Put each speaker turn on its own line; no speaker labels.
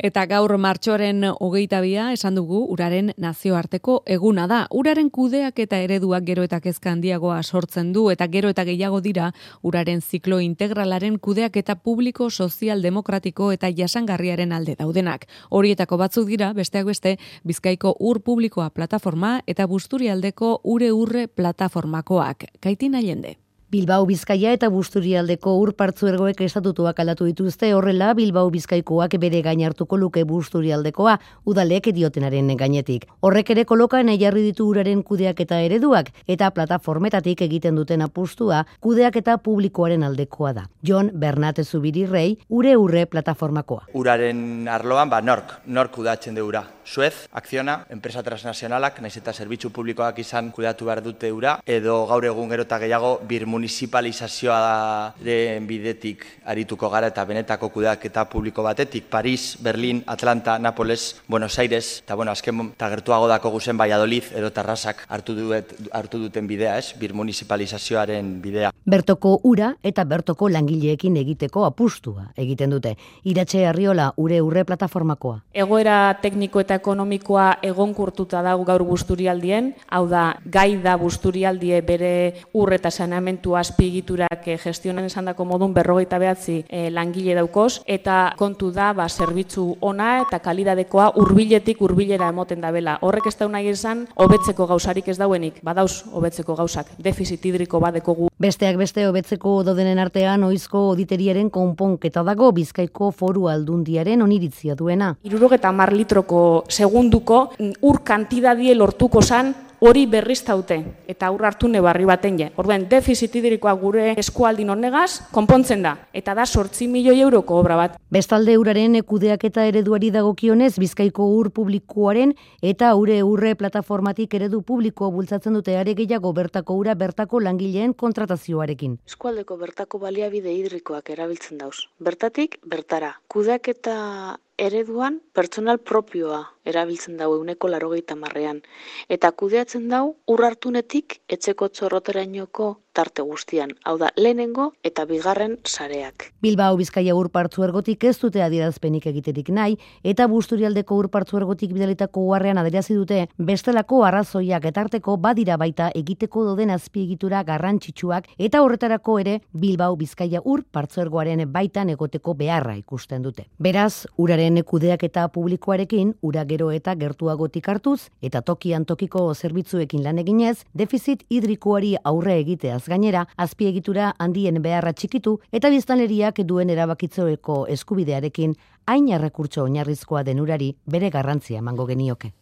Eta gaur martxoaren 22 esan dugu uraren nazioarteko eguna da. Uraren kudeak eta ereduak gero eta kezka handiagoa sortzen du eta gero eta gehiago dira uraren ziklo integralaren kudeak eta publiko, sozial, demokratiko eta jasangarriaren alde daudenak. Horietako batzuk dira, besteak beste, Bizkaiko Ur Publikoa plataforma eta Busturialdeko Ure Urre plataformakoak. Kaitin Allende.
Bilbao Bizkaia eta Busturialdeko ur partzuergoek estatutuak aldatu dituzte, horrela Bilbao Bizkaikoak bere gain hartuko luke Busturialdekoa, udalek diotenaren gainetik. Horrek ere kolokan jarri ditu uraren kudeak eta ereduak, eta plataformetatik egiten duten apustua kudeak eta publikoaren aldekoa da. Jon Bernat Zubirirrei, Ure Urre plataformakoa.
Uraren arloan, nork kudeatzen du ura. Suez, Akziona, enpresa transnazionalak, naiz eta zerbitzu publikoak izan kudeatu behar dute ura, edo gaur egun gero eta gehiago municipalizazioaren bidetik arituko gara eta benetako kudeaketa publiko batetik, Paris, Berlin, Atlanta, Napoles, Buenos Aires, eta azken eta gertuago dako guzen Valladolid edo Tarrasak hartu duten bidea, municipalizazioaren bidea.
Bertoko ura eta bertoko langileekin egiteko apustua egiten dute. Iratxe Arriola, Ure Urre plataformakoa.
Egoera tekniko eta ekonomikoa egonkurtuta dago gaur Busturialdien, hau da, gai da Busturialdie bere ur eta saneamentu azpiegiturak gestionan esandako modun 59 langile daukoz, eta kontu da zerbitzu ona eta kalidadekoa hurbiletik hurbilera emoten dabela. Horrek ez da nahi esan hobetzeko gauzarik ez dauenik, badauz hobetzeko gauzak, defizit hidriko badekogu.
Besteak beste hobetzeko dodenen artean oizko auditeriaren konponketa dago Bizkaiko Foru Aldundiaren oniritzia duena.
70 litroko segunduko ur kantidadie lortuko zan hori berriztaute eta aurra hartu nebarri baten je. Orduan, defizit hidrikoa gure eskualdin honegaz konpontzen da, eta da 8 milioi euroko obra bat.
Bestalde uraren kudeak eta ereduari dagokionez, Bizkaiko Ur Publikoaren eta Ure Urre plataformatik eredu publikoa bultzatzen dute are gehiago bertako ura bertako langileen kontratazioarekin.
Eskualdeko bertako baliabide hidrikoak erabiltzen dauz. Bertatik, bertara. Kudeak eta ereduan pertsonal propioa erabiltzen dau 80%, eta kudeatzen dau ur hartunetik etxeko txorroterainoko tarte guztian, hau da lehenengo eta bigarren sareak.
Bilbao Bizkaia ur partzuergotik ez dute adierazpenik egiterik nahi, eta Busturialdeko ur partzuergotik bidalitako uharrean adierazi dute bestelako arrazoiak etarteko badira baita egiteko doden azpiegitura garrantzitsuak eta horretarako ere Bilbao Bizkaia ur partzuergoaren baitan egoteko beharra ikusten dute. Beraz, uraren kudeak eta publikoarekin ura gero eta gertuagotik hartuz eta tokian tokiko zerbitzuekin lan eginez, defizit hidrikoari aurre egiteaz gainera, azpiegitura handien beharra txikitu eta biztanleriak duen erabakitzoeko eskubidearekin hain errekurtso oinarrizkoa den urari bere garrantzia emango genioke.